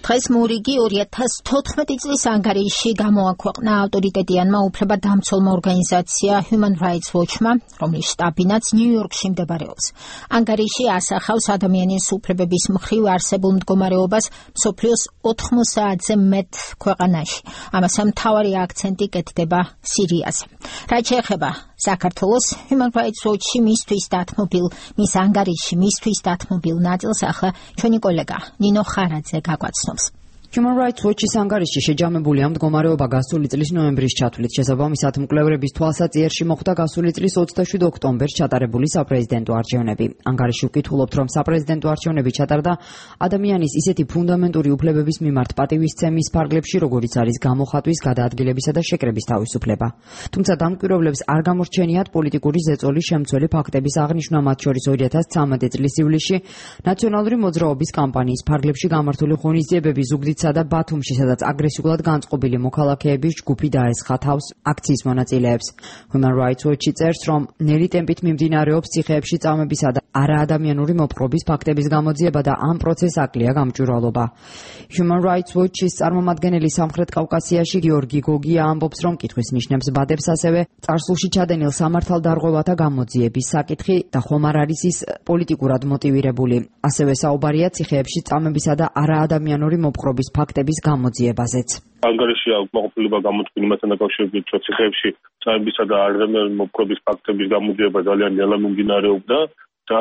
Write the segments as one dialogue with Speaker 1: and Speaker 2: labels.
Speaker 1: დღეს მურიგი 2014 წლის ანგარიში გამოაქვეყნა ავტორიტეტიანმა უფლებადამცველმა ორგანიზაცია Human Rights Watch-მა, რომლის შტაბინაც ნიუ-იორკში მდებარეობს. ანგარიში ასახავს ადამიანის უფლებების მხრივ არსებულ მდგომარეობას მსოფლიოს 90-ზე მეტ ქვეყანაში. ამასთან მთავარი აქცენტი კეთდება სირიაზე. რაც შეეხება საქართველოს, Human Rights Watch-ში მისთვის დათმობილ ნაწილს ახლა ჩვენი კოლეგა ნინო ხარაძე გაგვაცნობს.
Speaker 2: Human Rights Watch-ის ანგარიში შეჯამებულია მდგომარეობა გასული წლის ნოემბრის ჩათვლით. შესაბამისად, მკვლევრების თვალსაჩინოში მოხდა გასული წლის 27 ოქტომბერს ჩატარებული საპრეზიდენტო არჩევნები. ანგარიში უკითხულობთ, რომ საპრეზიდენტო არჩევნები ჩატარდა ადამიანის ისეთი ფუნდამენტური უფლებების მიმართ პატივისცემის ფარგლებში, როგორიც არის გამოხატვის, გადაადგილებისა და შეკრების თავისუფლება. თუმცა დამკვირვებლებს არ გამორჩენიათ პოლიტიკური ზეწოლის შემცველი ფაქტების აღნიშვნა, მათ შორის 2013 წლის ივლისში ნაციონალური მოძრაობის კამპანიის ფარგლებში გამართული ღონისძიებები ზუგდიდსა და ბათუმში, სადაც აგრესიულად განწყობილი მოქალაქეების ჯგუფი დაესხა თავს აქციის მონაწილეებს. Human Rights Watch წერს, რომ ნელი ტემპით მიმდინარეობს ციხეებში წამებისა და არაადამიანური მოპყრობის ფაქტების გამოძიება და ამ პროცესს აკლია გამჭვირვალობა. Human Rights Watch-ის წარმომადგენელი სამხრეთ კავკასიაში გიორგი გოგია ამბობს, რომ კითხვის ნიშნებს ბადებს ასევე წარსულში ჩადენილ სამართალდარღვევათა გამოძიების საკითხი და ხომ არ არის ის პოლიტიკურად მოტივირებული. ასევე საუბარია ციხეებში წამებისა და არაადამიანური მოპყრობის ფაქტების გამოძიებაზეც.
Speaker 3: ანგარიში აღმოფხვრილება გამოთქმული მასთან დაკავშირებით, რომ ციხეებში წამებისა და არაადამიანური მოპყრობის ფაქტების გამოძიება ძალიან ნელა მიმდინარეობდა და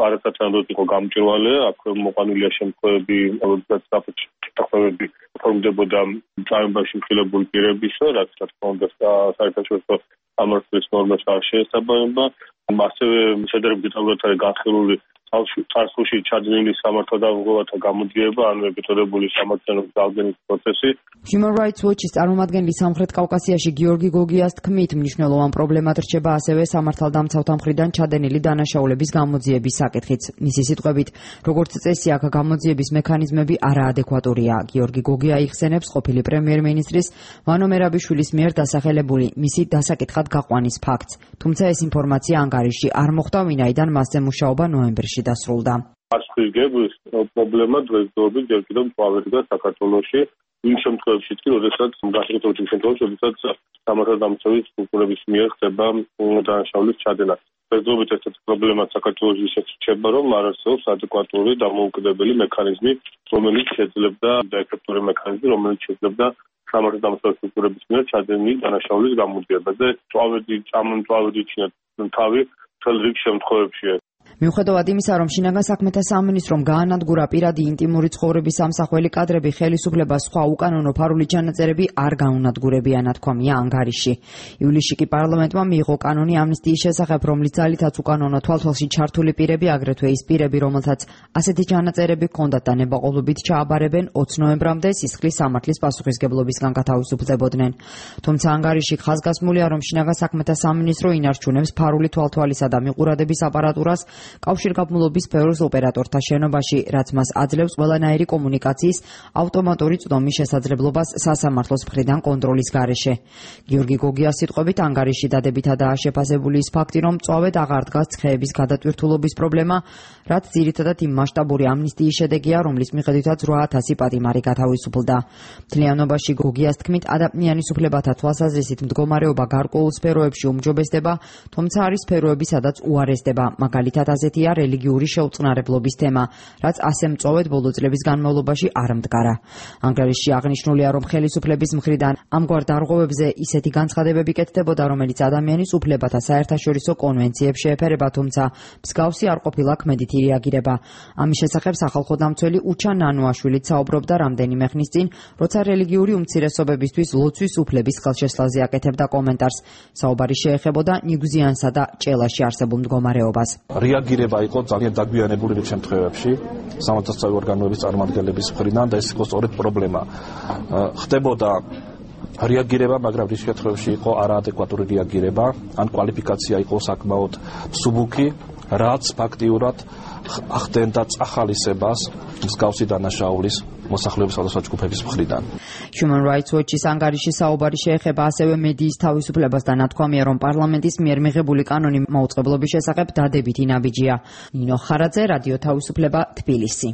Speaker 3: არასათანადოდ იყო გამჭვირვალე. აქ მოყვანილია შემთხვევები, როდესაც საფრთხეები ფორმდებოდა წამებაში მხილებული პირების, რაც რა თქმა უნდა საერთაშორისო სამართლის ნორმებს არ შეესაბამება. ასევე შედარებით არის განხილული წარსულში ჩადენილი სამართალდარღვევათა გამოძიება, ანუ ებიტოდებული სამართლიანობის ძალდენის პროცესი.
Speaker 2: Human Rights Watch-ის წარმომადგენელი სამხრეთ კავკასიაში გიორგი გოგიას თქმით, მნიშვნელოვან პრობლემად რჩება ასევე სამართალდამცავთა მხრიდან ჩადენილი დანაშაულების გამოძიების საკითხიც. მისი სიტყვებით, როგორც წესი, აქ გამოძიების მექანიზმები არაადეკვატურია. გიორგი გოგია იხსენებს ყოფილი პრემიერ-მინისტრის ვანო მერაბიშვილის მიერ დასახელებული მისი დასაკითხად გაყვანის ფაქტს. თუმცა ეს ინფორმაცია ანგარიში არ მოხვდა, ვინაიდან მასზე მუშაობა ნოემბერში დასრულდა.
Speaker 3: Არხის პრობლემა დღესდღეობით ჯერ კიდევ მწვავედია საქართველოში. იმ შემთხვევებში, როდესაც სამართალდამცავი სტრუქტურების მიერ ხდება დანაშაულის ჩადენა. დღესდღეობით ესეთი პრობლემა საქართველოში შეჩება, რომ არ არსებობს ადეკვატური დამოუკიდებელი მექანიზმი, რომელიც შეძლებდა რომელიც შეძლებდა სამართალდამცავი სტრუქტურების მიერ ჩადენილი დანაშაულის გამოძიებაზე. მწვავედი ჩინეთ თავი მთელ რიგ შემთხვევებში.
Speaker 2: მიუხედავად იმისა, რომ შინაგან საქმეთა სამინისტრომ გაანადგურა პირადი ინტიმური ცხოვრების სამსახველი კადრები, ხელისუფლებას სხვა უკანონო ფარული ჩანაწერები არ გაუნადგურებია, ნათქვამია ანგარიში. ივლისში კი პარლამენტმა მიიღო კანონი ამნისტიის შესახებ, რომლის ძალითაც უკანონო თვალთვალში ჩართული პირები, აგრეთვე ის პირები, რომელთაც ასეთი ჩანაწერები ჰქონდათ და ნებაყოფლობით ჩააბარებენ 20 ნოემბრამდე სისხლის სამართლის პასუხისგებლობისგან გათავისუფლდებოდნენ. თუმცა ანგარიში ხაზგასმულია, რომ შინაგან საქმეთა სამინისტრო ინარჩუნებს ფარული თვალთვალისა და მიყურადების აპარატურას კავშირგაბმულობის სფეროს ოპერატორთა შენობაში, რაც მას აძლევს ყველანაირი კომუნიკაციის ავტომატური წვდომის შესაძლებლობას სასამართლოს მხრიდან კონტროლის გარეშე. გიორგი გოგიას სიტყვებით, ანგარიში დადებითადაა შეფასებული ის ფაქტი, რომ მწვავედ აღარ დგას ცხეების გადატვირთულობის პრობლემა, რაც ძირითადად იმ მასშტაბური ამნისტიის შედეგია, რომლის მიხედვითაც 8000 პატიმარი გათავისუფლდა. მთლიანობაში გოგიას თქმით, ადამიანის უფლებათა თვალსაზრისით მდგომარეობა გარკვეულ სფეროებში უმჯობესდება, თუმცა არის სფეროები, სადაც უარესდება. მაგალითად ასეთია რელიგიური შეუწყნარებლობის თემა, რაც ასე მწვავედ ბოლო წლების განმავლობაში არ მდგარა. ანგარიში აღნიშნულია, რომ ხელისუფლების მხრიდან ამგვარ დარღვევებზე ისეთი განცხადებები კეთდებოდა, რომელიც ადამიანის უფლებათა საერთაშორისო კონვენციებს შეეფერება, თუმცა მსგავსი არ ყოფილა ქმედითი რეაგირება. ამის შესახებ სახალხო დამცველი უჩა ნანუაშვილიც საუბრობდა რამდენიმე ხნის წინ, როცა რელიგიური უმცირესობებისთვის ლოცვის უფლების ხელშესლაზე აკეთებდა კომენტარს. საუბარი შეეხებოდა ნიგზიანსა და ჭელაში არსებულ მდგომარეობას.
Speaker 4: რეაგირება იყო ძალიან დაგვიანებული შემთხვევებში სამართალდამცავი ორგანოების წარმომადგენლების მხრიდან და ეს იყო სწორედ პრობლემა. ხდებოდა რეაგირება, მაგრამ ის შემთხვევაში იყო არაადეკვატური რეაგირება, ან კვალიფიკაცია იყო საკმაოდ მსუბუქი, რაც ფაქტიურად ახდენდა წახალისებას მსგავსი დანაშაულის მოსახლეობის სხვადასხვა ჯგუფების მხრიდან.
Speaker 2: Human Rights Watch-ის ანგარიში საუბარი შეეხება ასევე მედიის თავისუფლებას და ნათქვამია, რომ პარლამენტის მიერ მიღებული კანონი მაუწყებლობის შესახებ დადებითი ნაბიჯია. ნინო ხარაძე, რადიო თავისუფლება, თბილისი.